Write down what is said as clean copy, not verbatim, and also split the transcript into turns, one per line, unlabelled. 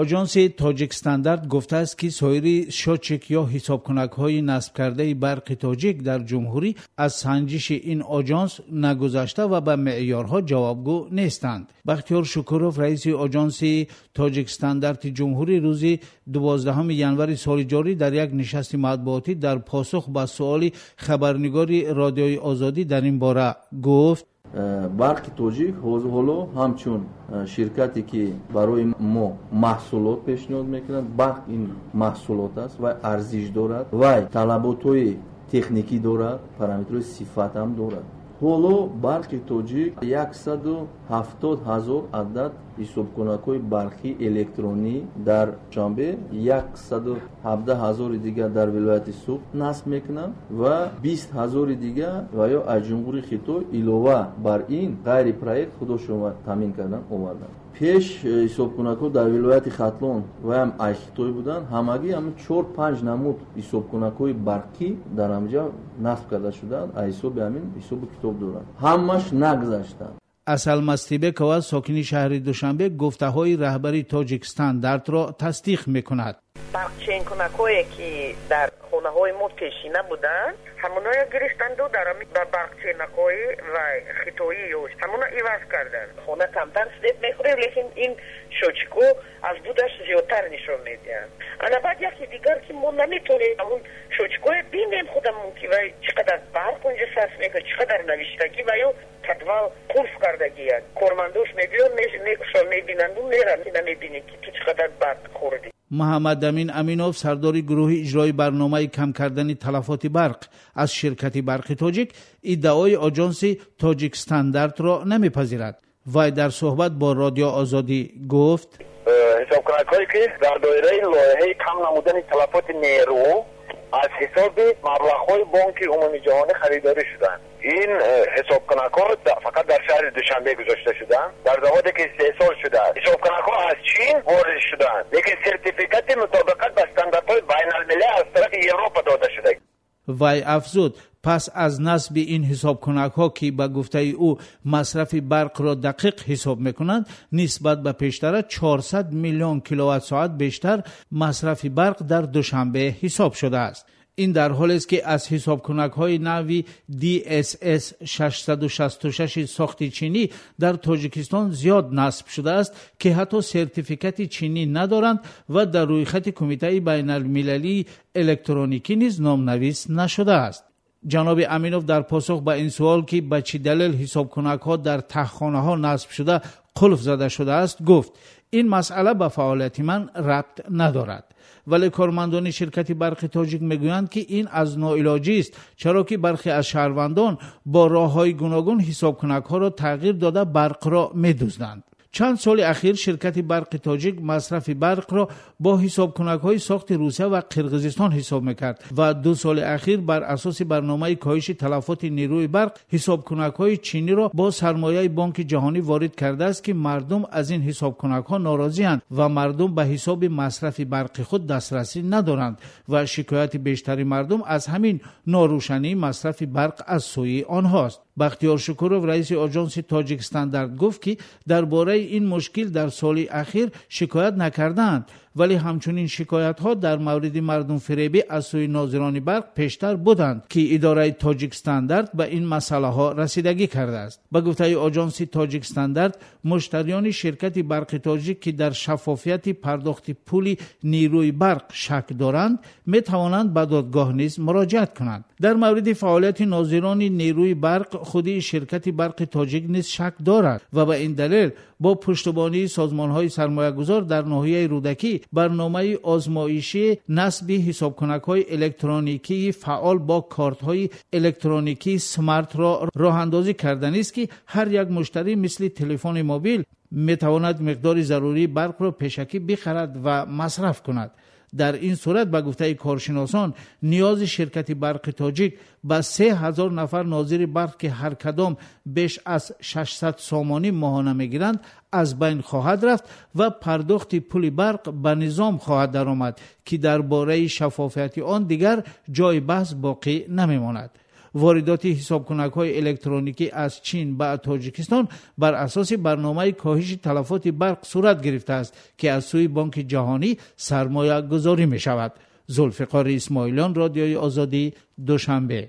Оҷонси Тоҷикстандарт гуфтааст, ки соири счётчик ё ҳисобкунакҳои насбкардаи Барқи Тоҷик дар ҷумҳурӣ аз санҷиши ин оҷонс нагузашта ва ба меъёрҳо ҷавобгӯ нестанд. Бахтиёр Шукуров, раиси Оҷонси Тоҷикстандарти ҷумҳурӣ, рӯзи 12 январи соли ҷорӣ дар як нишасти матбуотӣ дар посух ба суоли хабарнигори Радиои Озодӣ дар ин бора гуфт:
Барқи Тоҷик ҳоло ҳамчун ширкате, ки барои мо маҳсулот пешниҳод мекунад, барқ ин маҳсулот аст ва арзиш дорад, вай талаботҳои техникӣ дорад, параметрҳои сифат ҳам дорад. Ҳоло Барқи Тоҷик 170 000 адад ҳисобкунакҳои барқии электронӣ дар Душанбе, 117 000-и дигар дар вилояти Суғд насб мекунанд ва 20 000-и дигар ва ё аз Ҷумҳурии Хитой илова бар ин ғайри проект худошон таъмин кардан оварданд. Пеш ҳисобкунакҳо дар вилояти Хатлон ваям аз Хитой буданд. Ҳамагӣ ҳамин чор панҷ намуд ҳисобкунакҳои барқӣ дар ҳамҷа насб карда шуданд, аз ҳисоби ҳамин ҳисобу китоб доранд, ҳамаш нагузаштанд.
Асал Мастибекова, сокини шаҳри Душанбе, гуфтаҳои раҳбари Тоҷикстандартро тасдиқ мекунад.
Барқченкунакҳое, ки дар хонаҳои мо пешина буданд, ҳамоноя гирифтанду дар ба барқченакҳои вай хитоӣ ҳамона иваз карданд. Хона камтар свет мехӯрем, лекин ин счётчик ҳо аз будаш зиёдтар нишон медиҳанд. Ана баъд яке дигар, ки мо наметонем ҳамун счётчик ҳое бинем худамон, ки вай чӣ қадар барқ унҷа сарф мекунад, чӣ қадар навиштагӣ ва ё подвал қулф кардагиянд. Кормандош мебиён, мекушон, мебинанду меранд, намебинӣ, ки ту чӣ қадар барқ хӯрдӣ.
Муҳаммадамин Аминов, сардори гурӯҳи иҷрои барномаи кам кардани талафоти барқ аз ширкати Барқи Тоҷик, иддаои оҷонси Тоҷикстандартро намепазирад. Вай дар суҳбат бо Радио Озодӣ гуфт:
Ҳисобкунакҳое, ки дар доираи лоиҳаи кам намудани талафоти нерӯ аз ҳисоби маблағҳои Бонки Умумиҷаҳонӣ харидорӣ шуданд, ин ҳисобкунакҳо фақат дар шаҳри Душанбе гузошта шуданд, дар заводе, ки истеҳсол шудааст. Ҳисобкунакҳо аз Чин ворид шуданд, лекин сертификати мутобиқат ба стандартҳои байналмилал аз тарафи Европа дода шуда.
Вай афзуд, пас аз насби ин ҳисобкунакҳо, ки ба гуфтаи ӯ масрафи барқро дақиқ ҳисоб мекунанд, нисбат ба пештара 400 миллион киловатт-соат бештар масрафи барқ дар Душанбе ҳисоб шудааст. Ин дар ҳолест, ки аз ҳисобкунакҳои нави DSS 666 сохти чинӣ дар Тоҷикистон зиёд насб шудааст, ки ҳатто сертификати чинӣ надоранд ва дар рӯйхати Кумитаи байналмилалии электроникӣ низ номнавис нашудааст. Ҷаноби Аминов дар посух ба ин суол, ки ба чӣ далел ҳисобкунакҳо дар таҳхонаҳо насб шуда қулф зада шудааст, гуфт: «Ин масъала ба фаъолияти ман рабт надорад». Вале кормандони ширкати Барқи Тоҷик мегӯянд, ки ин аз ноилоҷист, чаро ки бархе аз шаҳрвандон бо роҳҳои гуногун ҳисобкунакҳоро тағйир дода, барқро медузданд. Чанд соли ахир ширкати Барқи Тоҷик масрафи барқро бо ҳисобкунакҳои сохти Русия ва Қирғизистон ҳисоб мекард ва 2 соли ахир бар асоси барномаи коҳиши талафоти нерӯи барқ ҳисобкунакҳои чиниро бо сармояи Бонки Ҷаҳонӣ ворид кардааст, ки мардум аз ин ҳисобкунакҳо норозианд ва мардум ба ҳисоби масрафи барқи худ дастрасӣ надоранд ва шикояти бештари мардум аз ҳамин норӯшании масрафи барқ аз сӯи онҳост. Бахтиёр Шукуров, раиси оҷонси Тоҷикстандарт, гуфт, ки дар бораи ин мушкил дар соли ахир шикоят накардаанд, вале ҳамчунин шикоятҳо дар мавриди мардумфиребӣ аз сӯи нозирони барқ пештар буданд, ки идораи Тоҷикстандарт ба ин масъалаҳо расидагӣ кардааст. Ба гуфтаи оҷонси Тоҷикстандарт, муштариёни ширкати Барқи Тоҷик, ки дар шаффофияти пардохти пули нерӯи барқ шак доранд, метавонанд ба додгоҳ низ муроҷиат кунанд. Дар мавриди фаъолияти нозирони нерӯи барқ худи ширкати Барқи Тоҷик низ шак дорад ва ба ин далел бо пуштубонии созмонҳои сармоягузор дар ноҳияи Рӯдакӣ барномаи озмоишии насби ҳисобкунакҳои электроникии фаъол бо кортҳои электроникии смартро роҳандозӣ карданист, ки ҳар як муштарӣ мисли телефони мобил метавонад миқдори зарурии барқро пешакӣ бихарад ва масраф кунад. Дар ин сурат, ба гуфтаи коршиносон, ниёзи ширкати Барқи Тоҷик ба 3000 нафар нозири барқ, ки ҳар кадом беш аз 600 сомонӣ моҳона мегиранд, аз байн хоҳад рафт ва пардохти пули барқ ба низом хоҳад даромад, ки дар бораи шаффофияти он дигар ҷои баҳс боқӣ намемонад. Воридоти ҳисобкунакҳои электроникӣ аз Чин ба Тоҷикистон бар асоси барномаи коҳиши талафоти барқ сурат гирифтааст, ки аз сӯи Бонки Ҷаҳонӣ сармоягузорӣ мешавад. Зулфиқори Исмоилиён, Радиои Озодӣ, Душанбе.